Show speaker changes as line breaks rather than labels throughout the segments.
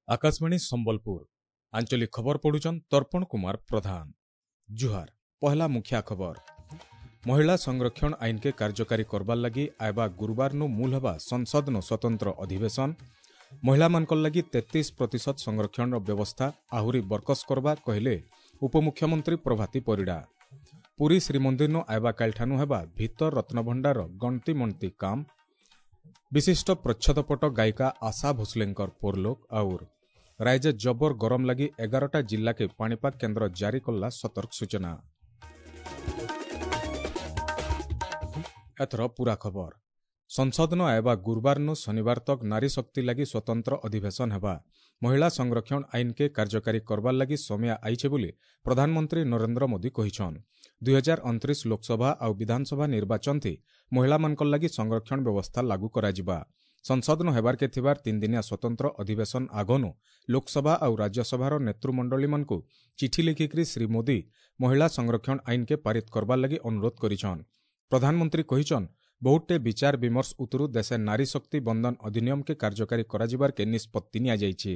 ଆକାଶବାଣୀ ସମ୍ବଲପୁର ଆଞ୍ଚଳିକ ଖବର ପଢୁଛନ୍ ତର୍ପଣ କୁମାର ପ୍ରଧାନ। ଜୁହାର। ପହଲା ମୁଖିଆ ଖବର। ମହିଳା ସଂରକ୍ଷଣ ଆଇନକେ କାର୍ଯ୍ୟକାରୀ କରବାର୍ ଲାଗି ଆଇବା ଗୁରୁବାରନୁ ମୂଲ ହେବା ସଂସଦନୁ ସ୍ୱତନ୍ତ୍ର ଅଧିବେଶନ। ମହିଳାମାନଙ୍କର ଲାଗି 33% ସଂରକ୍ଷଣର ବ୍ୟବସ୍ଥା ଆହୁରି ବରକସ କରବା କହିଲେ ଉପମୁଖ୍ୟମନ୍ତ୍ରୀ ପ୍ରଭାତୀ ପରିଡ଼ା। ପୁରୀ ଶ୍ରୀମନ୍ଦିରନୁ ଆଇବା କାଲିଠାନୁ ହେବା ଭିତର ରତ୍ନଭଣ୍ଡାର ଗଣତି ମଣତି କାମ। ବିଶିଷ୍ଟ ପ୍ରଚ୍ଛଦପଟ ଗାୟିକା ଆଶା ଭୋସଲେଙ୍କର ପରଲୋକ। ଆଉର ରାଜ୍ୟ ଜବର ଗରମ ଲାଗି 11ଟା ଜିଲ୍ଲାକେ ପାଣିପାଗ କେନ୍ଦ୍ର ଜାରି କଲା ସତର୍କ ସୂଚନା। ଏଥର ପୁରା ଖବର। ସଂସଦନ ଆଇବା ଗୁରୁବାରନୁ ଶନିବାର ତକ ନାରୀ ଶକ୍ତି ଲାଗି ସ୍ୱତନ୍ତ୍ର ଅଧିବେଶନ ହେବା। ମହିଳା ସଂରକ୍ଷଣ ଆଇନକେ କାର୍ଯ୍ୟକାରୀ କରବାର୍ ଲାଗି ସମୟ ଆଇଛେ ବୋଲି ପ୍ରଧାନମନ୍ତ୍ରୀ ନରେନ୍ଦ୍ର ମୋଦି କହିଛନ୍। 2029 ଲୋକସଭା ଆଉ ବିଧାନସଭା ନିର୍ବାଚନ ଥି ମହିଳାମାନଙ୍କର ଲାଗି ସଂରକ୍ଷଣ ବ୍ୟବସ୍ଥା ଲାଗୁ କରାଯିବା। ସଂସଦନ ହେବାର୍କେ ଥିବାର 3 ଦିନିଆ ସ୍ୱତନ୍ତ୍ର ଅଧିବେଶନ ଆଗନୁ ଲୋକସଭା ଆଉ ରାଜ୍ୟସଭାର ନେତୃମଣ୍ଡଳୀମାନଙ୍କୁ ଚିଠି ଲେଖିକରି ଶ୍ରୀ ମୋଦି ମହିଳା ସଂରକ୍ଷଣ ଆଇନକେ ପାରିତ କରବାର୍ ଲାଗି ଅନୁରୋଧ କରିଛନ୍। ପ୍ରଧାନମନ୍ତ୍ରୀ କହିଛନ୍, ବହୁତଟେ ବିଚାର ବିମର୍ଶ ଉତରୁ ଦେଶେ ନାରୀ ଶକ୍ତି ବନ୍ଦନ ଅଧିନିୟମକେ କାର୍ଯ୍ୟକାରୀ କରାଯିବାର୍କେ ନିଷ୍ପତ୍ତି ନିଆଯାଇଛି।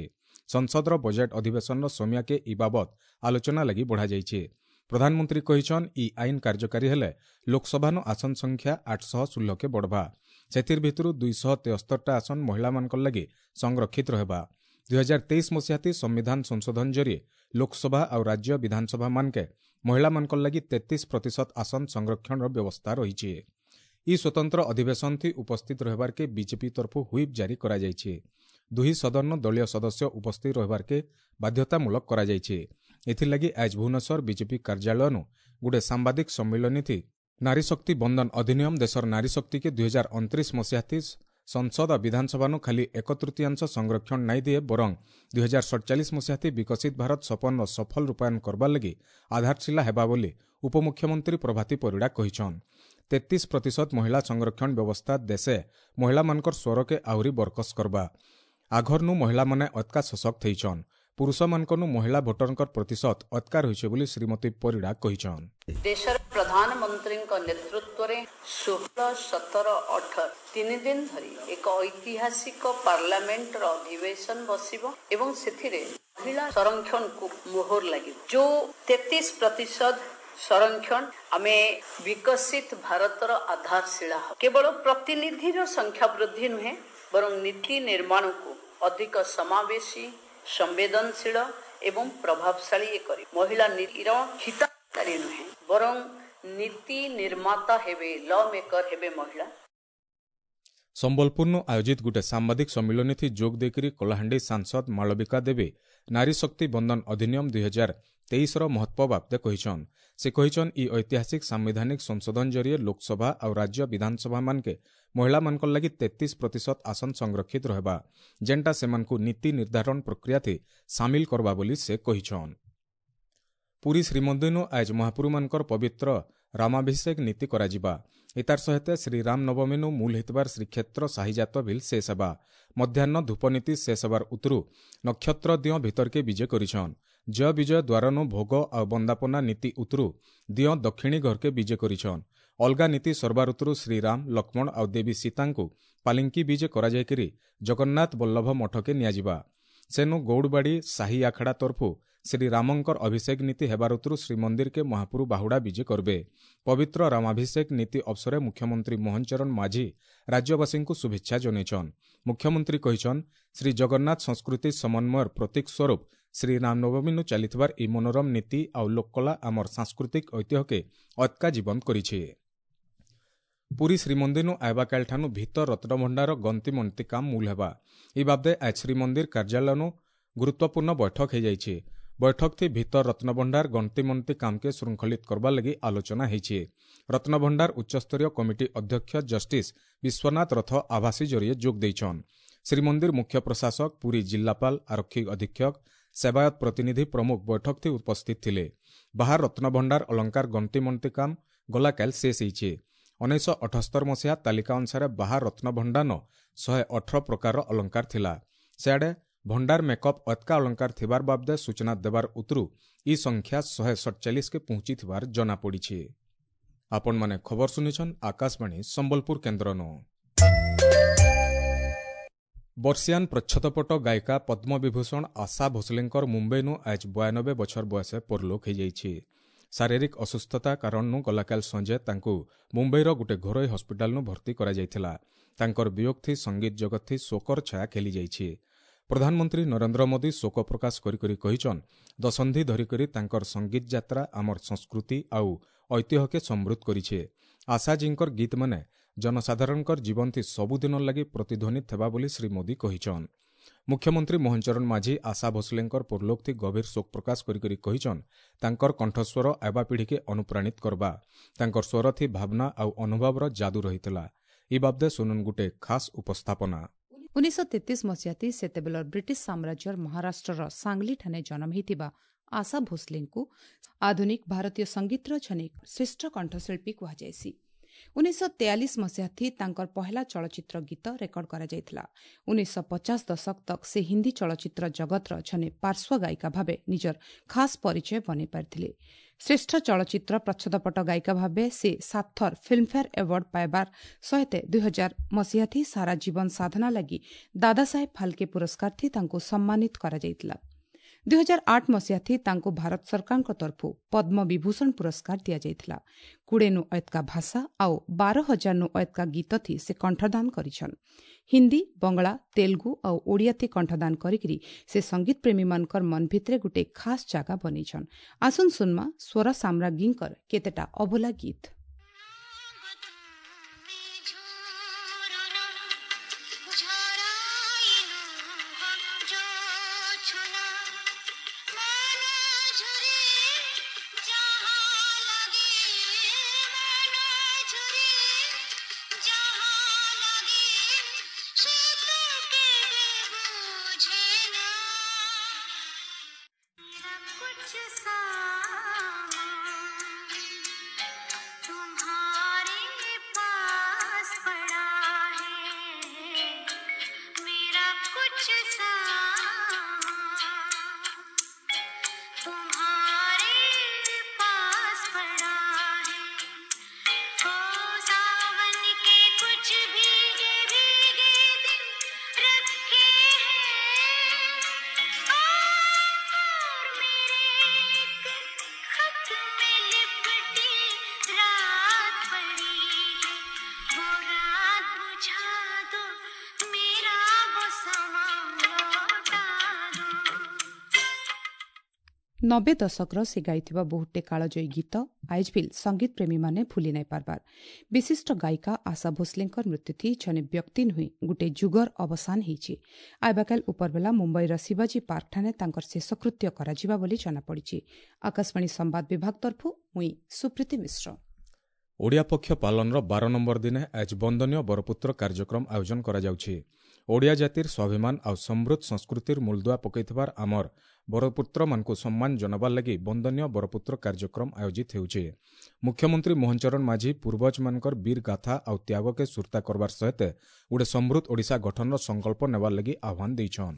ସଂସଦର ବଜେଟ୍ ଅଧିବେଶନର ସମୟକେ ଇ ବାବଦ ଆଲୋଚନା ଲାଗି ବଢ଼ାଯାଇଛି। ପ୍ରଧାନମନ୍ତ୍ରୀ କହିଛନ୍, ଇ ଆଇନ କାର୍ଯ୍ୟକାରୀ ହେଲେ ଲୋକସଭାନୁ ଆସନ ସଂଖ୍ୟା 816କେ ବଢ଼ବା। ସେଥିର୍ ଭିତରୁ 273ଟା ଆସନ ମହିଳାମାନଙ୍କର ଲାଗି ସଂରକ୍ଷିତ ରହିବା। 2023 ମସିହାତି ସମ୍ବିଧାନ ସଂଶୋଧନ ଜରିଏ ଲୋକସଭା ଆଉ ରାଜ୍ୟ ବିଧାନସଭା ମାନକେ ମହିଳାମାନଙ୍କର ଲାଗି 33% ଆସନ ସଂରକ୍ଷଣର ବ୍ୟବସ୍ଥା ରହିଛି। ଇ ସ୍ୱତନ୍ତ୍ର ଅଧିବେଶନ ଥି ଉପସ୍ଥିତ ରହିବାର୍କେ ବିଜେପି ତରଫୁ ହ୍ୱିପ୍ ଜାରି କରାଯାଇଛି। ଦୁହି ସଦନ ଦଳୀୟ ସଦସ୍ୟ ଉପସ୍ଥିତ ରହିବାର୍କେ ବାଧ୍ୟତାମୂଳକ କରାଯାଇଛି। ଏଥିର୍ଲାଗି ଆଜ୍ ଭୁବନେଶ୍ୱର ବିଜେପି କାର୍ଯ୍ୟାଳୟନୁ ଗୋଟେ ସାମ୍ବାଦିକ ସମ୍ମିଳନୀ ଥି ନାରୀ ଶକ୍ତି ବନ୍ଦନ ଅଧିନିୟମ ଦେଶର ନାରୀ ଶକ୍ତିକେ 2029 ମସିହାତି ସଂସଦ ବିଧାନସଭାନୁ ଖାଲି 1/3 ସଂରକ୍ଷଣ ନାଇଁ ଦିଏ, ବରଂ 2047 ମସିହାତି ବିକଶିତ ଭାରତ ସପନର ସଫଳ ରୂପାୟନ କରବାର୍ ଲାଗି ଆଧାରଶିଳା ହେବା ବୋଲି ଉପମୁଖ୍ୟମନ୍ତ୍ରୀ ପ୍ରଭାତୀ ପରିଡ଼ା କହିଛନ୍। 33% ମହିଳା ସଂରକ୍ଷଣ ବ୍ୟବସ୍ଥା ଦେଶେ ମହିଳାମାନଙ୍କର ସ୍ୱରକେ ଆହୁରି ବରକସ କରବା। ଆଘରନୁ ମହିଳାମାନେ ଅତ୍କା ସଶକ୍ତ ହେଇଛନ୍। ପୁରୁଷମାନଙ୍କନୁ ମହିଳା ଭୋଟରଙ୍କର ପ୍ରତିଶତ ଅତ୍କା ରହିছে ବୋଲି ଶ୍ରୀମତୀ ପରିଡ଼ା କହିଛନ୍।
ଦେଶର ପ୍ରଧାନମନ୍ତ୍ରୀଙ୍କ ନେତୃତ୍ୱରେ 16, 17, 18 3 ଦିନ ଧରି ଏକ ଐତିହାସିକ ପାର୍ଲାମେଣ୍ଟର ଅଧିବେଶନ ବସିବ ଏବଂ ସେଥିରେ ମହିଳା ସଂରକ୍ଷଣକୁ ମୋହର ଲାଗିବ। ଯୋଉ 33% ସଂରକ୍ଷଣ ଆମେ ବିକଶିତ ଭାରତର ଆଧାରଶିଳା। କେବଳ ପ୍ରତିନିଧିର ସଂଖ୍ୟା ବୃଦ୍ଧି ନୁହେଁ, ବରଂ ନୀତି ନିର୍ମାଣକୁ ଅଧିକ ସମାବେଶୀ, ସମ୍ବେଦନଶୀଳ ଏବଂ ପ୍ରଭାବଶାଳୀ କରିବ। ମହିଳା ନୀତିର ହିତାଧିକାରୀ ନୁହେଁ, ବରଂ ନୀତି ନିର୍ମାତା ହେବେ, ଲ ମେକର ହେବେ ମହିଳା।
ସମ୍ବଲପୁରନୁ ଆୟୋଜିତ ଗୋଟେ ସାମ୍ବାଦିକ ସମ୍ମିଳନୀ ଥି ଯୋଗ ଦେଇକରି କଳାହାଣ୍ଡି ସାଂସଦ ମାଳବିକା ଦେବୀ ନାରୀ ଶକ୍ତି ବନ୍ଦନ ଅଧିନିୟମ 2023ର ମହତ୍ତ୍ୱ ବାବଦେ କହିଛନ୍। ସେ କହିଛନ୍, ଇ ଐତିହାସିକ ସାମ୍ବିଧାନିକ ସଂଶୋଧନ ଜରିଏ ଲୋକସଭା ଆଉ ରାଜ୍ୟ ବିଧାନସଭା ମାନକେ ମହିଳାମାନଙ୍କର ଲାଗି 33% ଆସନ ସଂରକ୍ଷିତ ରହିବା, ଯେନ୍ଟା ସେମାନଙ୍କୁ ନୀତି ନିର୍ଦ୍ଧାରଣ ପ୍ରକ୍ରିୟାଥି ସାମିଲ କରବା ବୋଲି ସେ କହିଛନ୍। ପୁରୀ ଶ୍ରୀମନ୍ଦିରନୁ ଆଜ୍ ମହାପୁରୁମାନଙ୍କର ପବିତ୍ର ରାମାଭିଷେକ ନୀତି କରାଯିବା। ଏତାର ସହିତ ଶ୍ରୀରାମ ନବମୀନୁ ମୂଲ ହେଇଥିବାର ଶ୍ରୀକ୍ଷେତ୍ର ସାହିଜାତ ଭିଲ୍ ଶେଷ ହେବା। ମଧ୍ୟାହ୍ନ ଧୂପନୀତି ଶେଷ ହେବାର ଉତରୁ ନକ୍ଷତ୍ର ଦିଅଁ ଭିତରକେ ବିଜେ କରିଛନ୍। ଜୟ ବିଜୟ ଦ୍ୱାରନୁ ଭୋଗ ଆଉ ବନ୍ଦାପନା ନୀତି ଉତରୁ ଦିଅଁ ଦକ୍ଷିଣୀ ଘରକେ ବିଜେ କରିଛନ୍। ଅଲଗା ନୀତି ସର୍ବାର ଉତରୁ ଶ୍ରୀରାମ, ଲକ୍ଷ୍ମଣ ଆଉ ଦେବୀ ସୀତାଙ୍କୁ ପାଲିଙ୍କି ବିଜେ କରାଯାଇକରି ଜଗନ୍ନାଥ ବଲ୍ଲଭ ମଠକେ ନିଆଯିବା। ସେନୁ ଗୌଡ଼ବାଡ଼ି ସାହି ଆଖଡ଼ା ତରଫୁ ଶ୍ରୀରାମଙ୍କର ଅଭିଷେକ ନୀତି ହେବାର ଉତରୁ ଶ୍ରୀମନ୍ଦିରକେ ମହାପୁରୁ ବାହୁଡ଼ା ବିଜେ କରବେ। ପବିତ୍ର ରାମାଭିଷେକ ନୀତି ଅବସରେ ମୁଖ୍ୟମନ୍ତ୍ରୀ ମୋହନ ଚରଣ ମାଝୀ ରାଜ୍ୟବାସୀଙ୍କୁ ଶୁଭେଚ୍ଛା ଜଣାଇଛନ୍। ମୁଖ୍ୟମନ୍ତ୍ରୀ କହିଛନ୍, ଶ୍ରୀ ଜଗନ୍ନାଥ ସଂସ୍କୃତି ସମନ୍ୱୟର ପ୍ରତୀକ ସ୍ୱରୂପ ଶ୍ରୀରାମନବମୀନୁ ଚାଲିଥିବାର ଏହି ମନୋରମ ନୀତି ଆଉ ଲୋକକଳା ଆମର ସାଂସ୍କୃତିକ ଐତିହ୍ୟକେ ଅତ୍କା ଜୀବନ୍ତ କରିছে। ପୁରୀ ଶ୍ରୀମନ୍ଦିରନୁ ଆଇବା କାଲିଠାନୁ ଭିତର ରତ୍ନଭଣ୍ଡାର ଗନ୍ତି ମନ୍ତି କାମ ମୂଲ ହେବା। ଏ ବାବଦେ ଆଜ ଶ୍ରୀମନ୍ଦିର କାର୍ଯ୍ୟାଳୟନୁ ଗୁରୁତ୍ୱପୂର୍ଣ୍ଣ ବୈଠକ ହେଇଯାଇଛି। ବୈଠକ ଥି ଭିତର ରତ୍ନଭଣ୍ଡାର ଗଣତି ମନ୍ତି କାମକେ ଶୃଙ୍ଖଳିତ କରବାର୍ ଲାଗି ଆଲୋଚନା ହେଇଛି। ରତ୍ନଭଣ୍ଡାର ଉଚ୍ଚସ୍ତରୀୟ କମିଟି ଅଧ୍ୟକ୍ଷ ଜଷ୍ଟିସ୍ ବିଶ୍ୱନାଥ ରଥ ଆଭାସୀ ଜରିଏ ଯୋଗ ଦେଇଛନ୍। ଶ୍ରୀମନ୍ଦିର ମୁଖ୍ୟ ପ୍ରଶାସକ, ପୁରୀ ଜିଲ୍ଲାପାଳ, ଆରକ୍ଷୀ ଅଧୀକ୍ଷକ, ସେବାୟତ ପ୍ରତିନିଧି ପ୍ରମୁଖ ବୈଠକ ଥି ଉପସ୍ଥିତ ଥିଲେ। ବାହାର ରତ୍ନଭଣ୍ଡାର ଅଳଙ୍କାର ଗଣତି ମନ୍ତି କାମ ଗଲାକାଲି ଶେଷ ହେଇଛି। 1978 ମସିହା ତାଲିକା ଅନୁସାରେ ବାହାର ରତ୍ନଭଣ୍ଡାର 118 ପ୍ରକାରର ଅଳଙ୍କାର ଥିଲା। ସେଆଡ଼େ ଭଣ୍ଡାର ମେକଅପ୍ ଅତ୍କା ଅଳଙ୍କାର ଥିବାର ବାବଦେ ସୂଚନା ଦେବାର ଉତରୁ ଇ ସଂଖ୍ୟା 147କେ ପହଞ୍ଚିଥିବାର ଜଣାପଡ଼ିଛି। ଆପଣମାନେ ଖବର ଶୁନିଛନ୍ ଆକାଶବାଣୀ ସମ୍ବଲପୁର କେନ୍ଦ୍ରନୁ। ବର୍ଷିଆନ୍ ପ୍ରଚ୍ଛଦପଟ ଗାୟିକା ପଦ୍ମବିଭୂଷଣ ଆଶା ଭୋସଲେଙ୍କର ମୁମ୍ବାଇନୁ ଆଜ୍ 92 ବଛର ବୟସେ ପରଲୋକ ହୋଇଯାଇଛି। ଶାରୀରିକ ଅସୁସ୍ଥତା କାରଣରୁ ଗଲାକାଲି ସଞ୍ଜେ ତାଙ୍କୁ ମୁମ୍ବାଇର ଗୋଟେ ଘରୋଇ ହସ୍ପିଟାଲନୁ ଭର୍ତ୍ତି କରାଯାଇଥିଲା। ତାଙ୍କର ବିୟୋଗଥି ସଙ୍ଗୀତ ଜଗତଥି ଶୋକର ଛାୟା ଖେଳିଯାଇଛି। ପ୍ରଧାନମନ୍ତ୍ରୀ ନରେନ୍ଦ୍ର ମୋଦି ଶୋକ ପ୍ରକାଶ କରି କରି କହିଛନ୍, ଦଶନ୍ଧି ଧରିକରି ତାଙ୍କର ସଙ୍ଗୀତ ଯାତ୍ରା ଆମର ସଂସ୍କୃତି ଆଉ ଐତିହ୍ୟକେ ସମୃଦ୍ଧ କରିଛେ। ଆଶାଜୀଙ୍କର ଗୀତମାନେ ଜନସାଧାରଣଙ୍କର ଜୀବନଥି ସବୁଦିନ ଲାଗି ପ୍ରତିଧ୍ୱନି ଥେବା ବୋଲି ଶ୍ରୀ ମୋଦି କହିଛନ୍। ମୁଖ୍ୟମନ୍ତ୍ରୀ ମୋହନ ଚରଣ ମାଝୀ ଆଶା ଭୋସଲେଙ୍କର ପରଲୋକଥି ଗଭୀର ଶୋକ ପ୍ରକାଶ କରି କରି କହିଛନ୍, ତାଙ୍କର କଣ୍ଠସ୍ୱର ଆଇବା ପିଢ଼ିକେ ଅନୁପ୍ରାଣିତ କରବା। ତାଙ୍କର ସ୍ୱରଥି ଭାବନା ଆଉ ଅନୁଭବର ଯାଦୁ ରହିଥିଲା। ଇ ବାବଦେ ଶୁନୁନ୍ ଗୁଟେ ଖାସ୍ ଉପସ୍ଥାପନା।
1933 ମସିହାତି ସେତେବେଳର ବ୍ରିଟିଶ ସାମ୍ରାଜ୍ୟର ମହାରାଷ୍ଟ୍ରର ସାଙ୍ଗଲିଠାରେ ଜନ୍ମ ହୋଇଥିବା ଆଶା ଭୋସଲେଙ୍କୁ ଆଧୁନିକ ଭାରତୀୟ ସଙ୍ଗୀତର ଜଣେ ଶ୍ରେଷ୍ଠ କଣ୍ଠଶିଳ୍ପୀ କୁହାଯାଇସି। 1943 ମସିହାଥି ତାଙ୍କର ପହେଲା ଚଳଚ୍ଚିତ୍ର ଗୀତ ରେକର୍ଡ କରାଯାଇଥିଲା। 1950 ଦଶକ ତକ୍ ସେ ହିନ୍ଦୀ ଚଳଚ୍ଚିତ୍ର ଜଗତର ଜଣେ ପାର୍ଶ୍ୱ ଗାୟିକା ଭାବେ ନିଜର ଖାସ୍ ପରିଚୟ ବନେଇ ପାରିଥିଲେ। ଶ୍ରେଷ୍ଠ ଚଳଚ୍ଚିତ୍ର ପ୍ରଚ୍ଛଦପଟ ଗାୟିକା ଭାବେ ସେ 7 ଥର ଫିଲ୍ମଫେୟାର ଆୱାର୍ଡ ପାଇବାର ସହିତ 2000 ମସିହାଥି ସାରା ଜୀବନ ସାଧନା ଲାଗି ଦାଦାସାହେବ ଫାଲକେ ପୁରସ୍କାରଥି ତାଙ୍କୁ ସମ୍ମାନିତ କରାଯାଇଥିଲା। 2008 ମସିହାଥି ତାଙ୍କୁ ଭାରତ ସରକାରଙ୍କ ତରଫରୁ ପଦ୍ମ ବିଭୂଷଣ ପୁରସ୍କାର ଦିଆଯାଇଥିଲା। 20ନୁ ଅଏତକା ଭାଷା ଆଉ 12,000ନୁ ଅଏତକା ଗୀତଥି ସେ କଣ୍ଠଦାନ କରିଛନ୍। ହିନ୍ଦୀ, ବଙ୍ଗଳା, ତେଲୁଗୁ ଆଉ ଓଡ଼ିଆଥି କଣ୍ଠଦାନ କରିକିରି ସେ ସଙ୍ଗୀତ ପ୍ରେମୀମାନଙ୍କର ମନ ଭିତରେ ଗୋଟେ ଖାସ୍ ଜାଗା ବନେଇଛନ୍। ଆସୁନ୍ ସୁନ୍ମା ସ୍ୱର ସାମ୍ରାଜ୍ଞୀଙ୍କର କେତେଟା ଅଭୁଲା ଗୀତ। ନବେ ଦଶକର ସେ ଗାଇଥିବା ବହୁଟେ କାଳଜୟୀ ଗୀତ ଆଇଜ୍ ବିଲ୍ ସଙ୍ଗୀତ ପ୍ରେମୀମାନେ ଭୁଲି ନାଇଁ ପାରବାର। ବିଶିଷ୍ଟ ଗାୟିକା ଆଶା ଭୋସଲେଙ୍କର ମୃତ୍ୟୁଥି ଜଣେ ବ୍ୟକ୍ତି ନୁହେଁ, ଗୋଟେ ଯୁଗର ଅବସାନ ହେଇଛି। ଆଇବାକାଲ ଉପରବେଲା ମୁମ୍ବାଇର ଶିବାଜୀ ପାର୍କଠାରେ ତାଙ୍କର ଶେଷକୃତ୍ୟ କରାଯିବା ବୋଲି ଜଣାପଡ଼ିଛି। ଆକାଶବାଣୀ ସମ୍ବାଦ ବିଭାଗ ତରଫରୁ ମୁଇଁ ସୁପ୍ରୀତି ମିଶ୍ର।
ଓଡ଼ିଆ ପକ୍ଷ ପାଳନର 12 ନମ୍ବର ଦିନେ ଆଜ୍ ବନ୍ଦନୀୟ ବରପୁତ୍ର କାର୍ଯ୍ୟକ୍ରମ ଆୟୋଜନ କରାଯାଉଛି। ଓଡ଼ିଆ ଜାତିର ସ୍ୱାଭିମାନ ଆଉ ସମୃଦ୍ଧ ସଂସ୍କୃତିର ମୂଳଦୁଆ ପକାଇଥିବାର ଆମର ବରପୁତ୍ରମାନଙ୍କୁ ସମ୍ମାନ ଜଣାବାର ଲାଗି ବନ୍ଦନୀୟ ବରପୁତ୍ର କାର୍ଯ୍ୟକ୍ରମ ଆୟୋଜିତ ହେଉଛି। ମୁଖ୍ୟମନ୍ତ୍ରୀ ମୋହନ ଚରଣ ମାଝୀ ପୂର୍ବଜମାନଙ୍କର ବୀର ଗାଥା ଆଉ ତ୍ୟାଗକେ ସୁର୍ତ୍ତା କରବାର ସହିତ ଗୋଟେ ସମୃଦ୍ଧ ଓଡ଼ିଶା ଗଠନର ସଂକଳ୍ପ ନେବାର ଲାଗି ଆହ୍ୱାନ ଦେଇଛନ୍।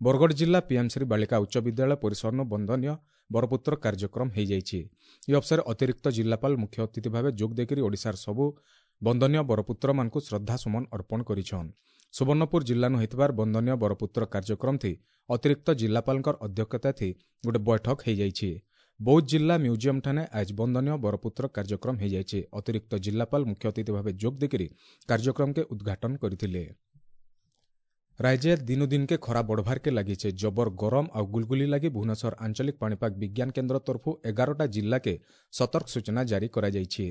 ବରଗଡ଼ ଜିଲ୍ଲା ପିଏମ୍ଶ୍ରୀ ବାଳିକା ଉଚ୍ଚ ବିଦ୍ୟାଳୟ ପରିସରନୁ ବନ୍ଦନୀୟ ବରପୁତ୍ର କାର୍ଯ୍ୟକ୍ରମ ହୋଇଯାଇଛି। ଏହି ଅବସରରେ ଅତିରିକ୍ତ ଜିଲ୍ଲାପାଳ ମୁଖ୍ୟ ଅତିଥି ଭାବେ ଯୋଗ ଦେଇକରି ଓଡ଼ିଶାର ସବୁ ବନ୍ଦନୀୟ ବରପୁତ୍ରମାନଙ୍କୁ ଶ୍ରଦ୍ଧାସୁମନ ଅର୍ପଣ କରିଛନ୍। ସୁବର୍ଣ୍ଣପୁର ଜିଲ୍ଲାନୁ ହୋଇଥିବାର ବନ୍ଦନୀୟ ବରପୁତ୍ର କାର୍ଯ୍ୟକ୍ରମଥି ଅତିରିକ୍ତ ଜିଲ୍ଲାପାଳଙ୍କର ଅଧ୍ୟକ୍ଷତାଥି ଗୋଟେ ବୈଠକ ହୋଇଯାଇଛି। ବୌଦ୍ଧ ଜିଲ୍ଲା ମ୍ୟୁଜିୟମଠାନେ ଆଜ୍ ବନ୍ଦନୀୟ ବରପୁତ୍ର କାର୍ଯ୍ୟକ୍ରମ ହୋଇଯାଇଛି। ଅତିରିକ୍ତ ଜିଲ୍ଲାପାଳ ମୁଖ୍ୟ ଅତିଥି ଭାବେ ଯୋଗ ଦେଇକରି କାର୍ଯ୍ୟକ୍ରମକେ ଉଦ୍ଘାଟନ କରିଥିଲେ। ରାଜ୍ୟ ଦିନୁ ଦିନକେ ଖରା ବଢ଼ବାର୍କେ ଲାଗିଛେ। ଜବର ଗରମ ଆଉ ଗୁଲଗୁଲି ଲାଗି ଭୁବନେଶ୍ୱର ଆଞ୍ଚଳିକ ପାଣିପାଗ ବିଜ୍ଞାନ କେନ୍ଦ୍ର ତରଫରୁ 11ଟା ଜିଲ୍ଲାକେ ସତର୍କ ସୂଚନା ଜାରି କରାଯାଇଛି।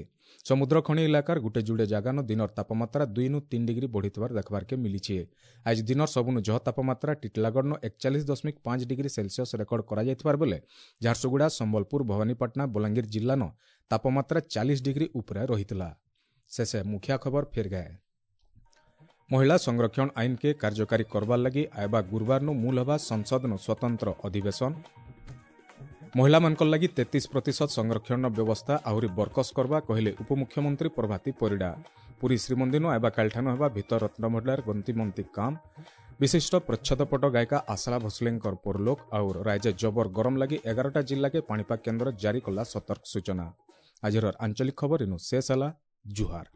ସମୁଦ୍ର ଖଣି ଇଲାକାର ଗୁଟେ ଯୁଡ଼େ ଜାଗାନ ଦିନର ତାପମାତ୍ରା 2ରୁ 3 ଡିଗ୍ରୀ ବଢ଼ିଥିବାର ଦେଖବାର୍କେ ମିଳିଛି। ଆଜି ଦିନର ସବୁନୁ ଜହ ତାପମାତ୍ରା ଟିଟଲାଗଡ଼ନ 41.5 ଡିଗ୍ରୀ ସେଲସିୟସ୍ ରେକର୍ଡ କରାଯାଇଥିବାର ବେଲେ ଝାରସୁଗୁଡ଼ା, ସମ୍ବଲପୁର, ଭବାନୀପାଟଣା, ବଲାଙ୍ଗୀର ଜିଲ୍ଲାନ ତାପମାତ୍ରା 40 ଡିଗ୍ରୀ ଉପରେ ରହିଥିଲା। ଶେଷେ ମୁଖିଆ ଖବର ଫେର୍ ଗାଏ। ମହିଳା ସଂରକ୍ଷଣ ଆଇନକେ କାର୍ଯ୍ୟକାରୀ କରବାର୍ ଲାଗି ଆଇବା ଗୁରୁବାରନୁ ମୂଲ ହେବା ସଂସଦନୁ ସ୍ୱତନ୍ତ୍ର ଅଧିବେଶନ। ମହିଳାମାନଙ୍କର ଲାଗି 33% ସଂରକ୍ଷଣର ବ୍ୟବସ୍ଥା ଆହୁରି ବର୍କସ କରବା କହିଲେ ଉପମୁଖ୍ୟମନ୍ତ୍ରୀ ପ୍ରଭାତୀ ପରିଡ଼ା। ପୁରୀ ଶ୍ରୀମନ୍ଦିରନୁ ଆଇବା କାଲିଠାନୁ ହେବା ଭିତର ରତ୍ନଭଣ୍ଡାର ଗନ୍ତିମନ୍ତି କାମ। ବିଶିଷ୍ଟ ପ୍ରଚ୍ଛଦପଟ ଗାୟିକା ଆଶା ଭୋସଲେଙ୍କର ପରଲୋକ ଆଉ ରାଜ୍ୟ ଜବର ଗରମ ଲାଗି 11ଟା ଜିଲ୍ଲାକେ ପାଣିପାଗ କେନ୍ଦ୍ର ଜାରି କଲା ସତର୍କ ସୂଚନା। ଆଜିର ଆଞ୍ଚଳିକ ଖବର ଇନୁ ଶେଷ ହେଲା। ଜୁହାର।